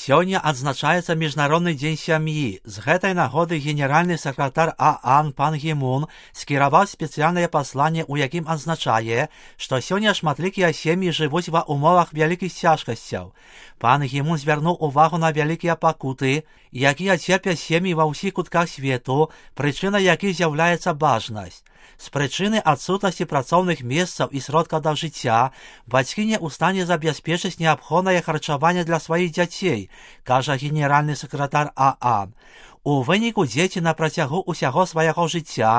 Сёння адзначаецца Міжнародны дзень сям'і. З гэтай нагоды генеральны сакратар ААН пан Гі Мун скіраваў спецыяльнае пасланне, у якім адзначае, што сёння шматлікія сем'і жывуць ва ўмовах вялікіх цяжкасцяў. Пан Гі Мун звярнуў увагу на вялікія пакуты, якія церпяць сем'і ва ўсіх кутках свету, прычынай якіх з'яўляецца бажнасць. З прычыны адсутнасці працоўных месцаў і сродкаў да жыцця бацькі не ў стане забяспечыць неабходнае харчаванне для сваіх дзяцей, кажа генеральны сакратар ААН. У выніку дзеці на працягу ўсяго свайго жыцця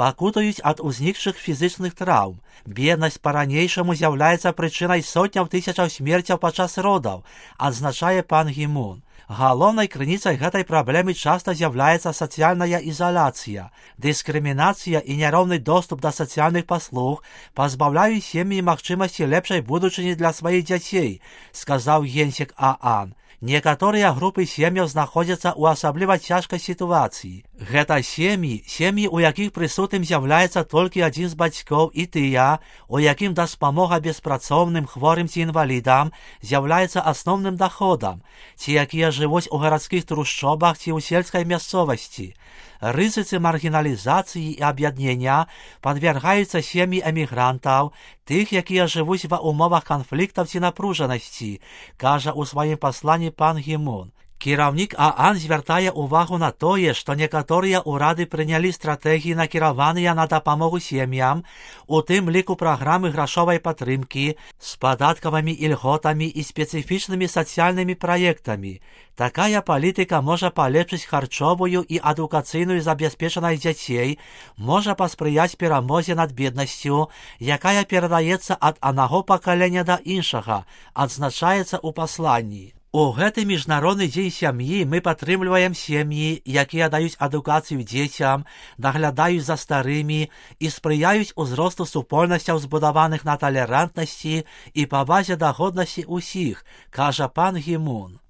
пакутаюць ад узнікшых фізычных траўм. Беднасць па-ранейшаму з'яўляецца прычынай сотняў тысячаў смерцяў падчас родаў, адзначае пан Гі Мун. Галоўнай крыніцай гэтай праблемы часта з'яўляецца сацыяльная ізаляцыя. Дыскрымінацыя і няроўны доступ да сацыяльных паслуг пазбаўляюць сем'і магчымасці лепшай будучыні для сваіх дзяцей, сказаў генсек ААН. Некаторыя групы сем'яў знаходзяцца ў асабліва цяжкай сітуацыі. Гэта сем'і, у якіх прысутным з'яўляецца толькі адзін з бацькоў, і тыя, у якім дапамога беспрацоўным, хворым ці інвалідам з'яўляецца асноўным даходам, ці якія жывуць у гарадскіх трушчобах ці ў сельскай мясцовасці. Рызыцы маргіналізацыі і аб'яднення падвяргаюцца сем'і эмігрантаў, тых, якія жывуць ва ўмовах канфліктаў ці напружанасці, кажа ў сваім пасланні пан Гі Мун. Кіраўнік ААН звяртае ўвагу на тое, што некаторыя ўрады прынялі стратэгіі, накіраваныя на дапамогу сем'ям, у тым ліку праграмы грашовай падтрымкі з падаткавымі ільготамі і спецыфічнымі сацыяльнымі праектамі. Такая палітыка можа палепшыць харчовую і адукацыйную забяспечанасць дзяцей, можа паспрыяць перамозе над беднасцю, якая перадаецца ад аднаго пакалення да іншага, адзначаецца ў пасланні. У гэты міжнародны дзень сям'і мы падтрымліваем сем'і, якія даюць адукацыю дзецям, наглядаюць за старымі і спрыяюць узросту супольнасцяў, збудаваных на талерантнасці і павазе да годнасці ўсіх, кажа пан Гі Мун.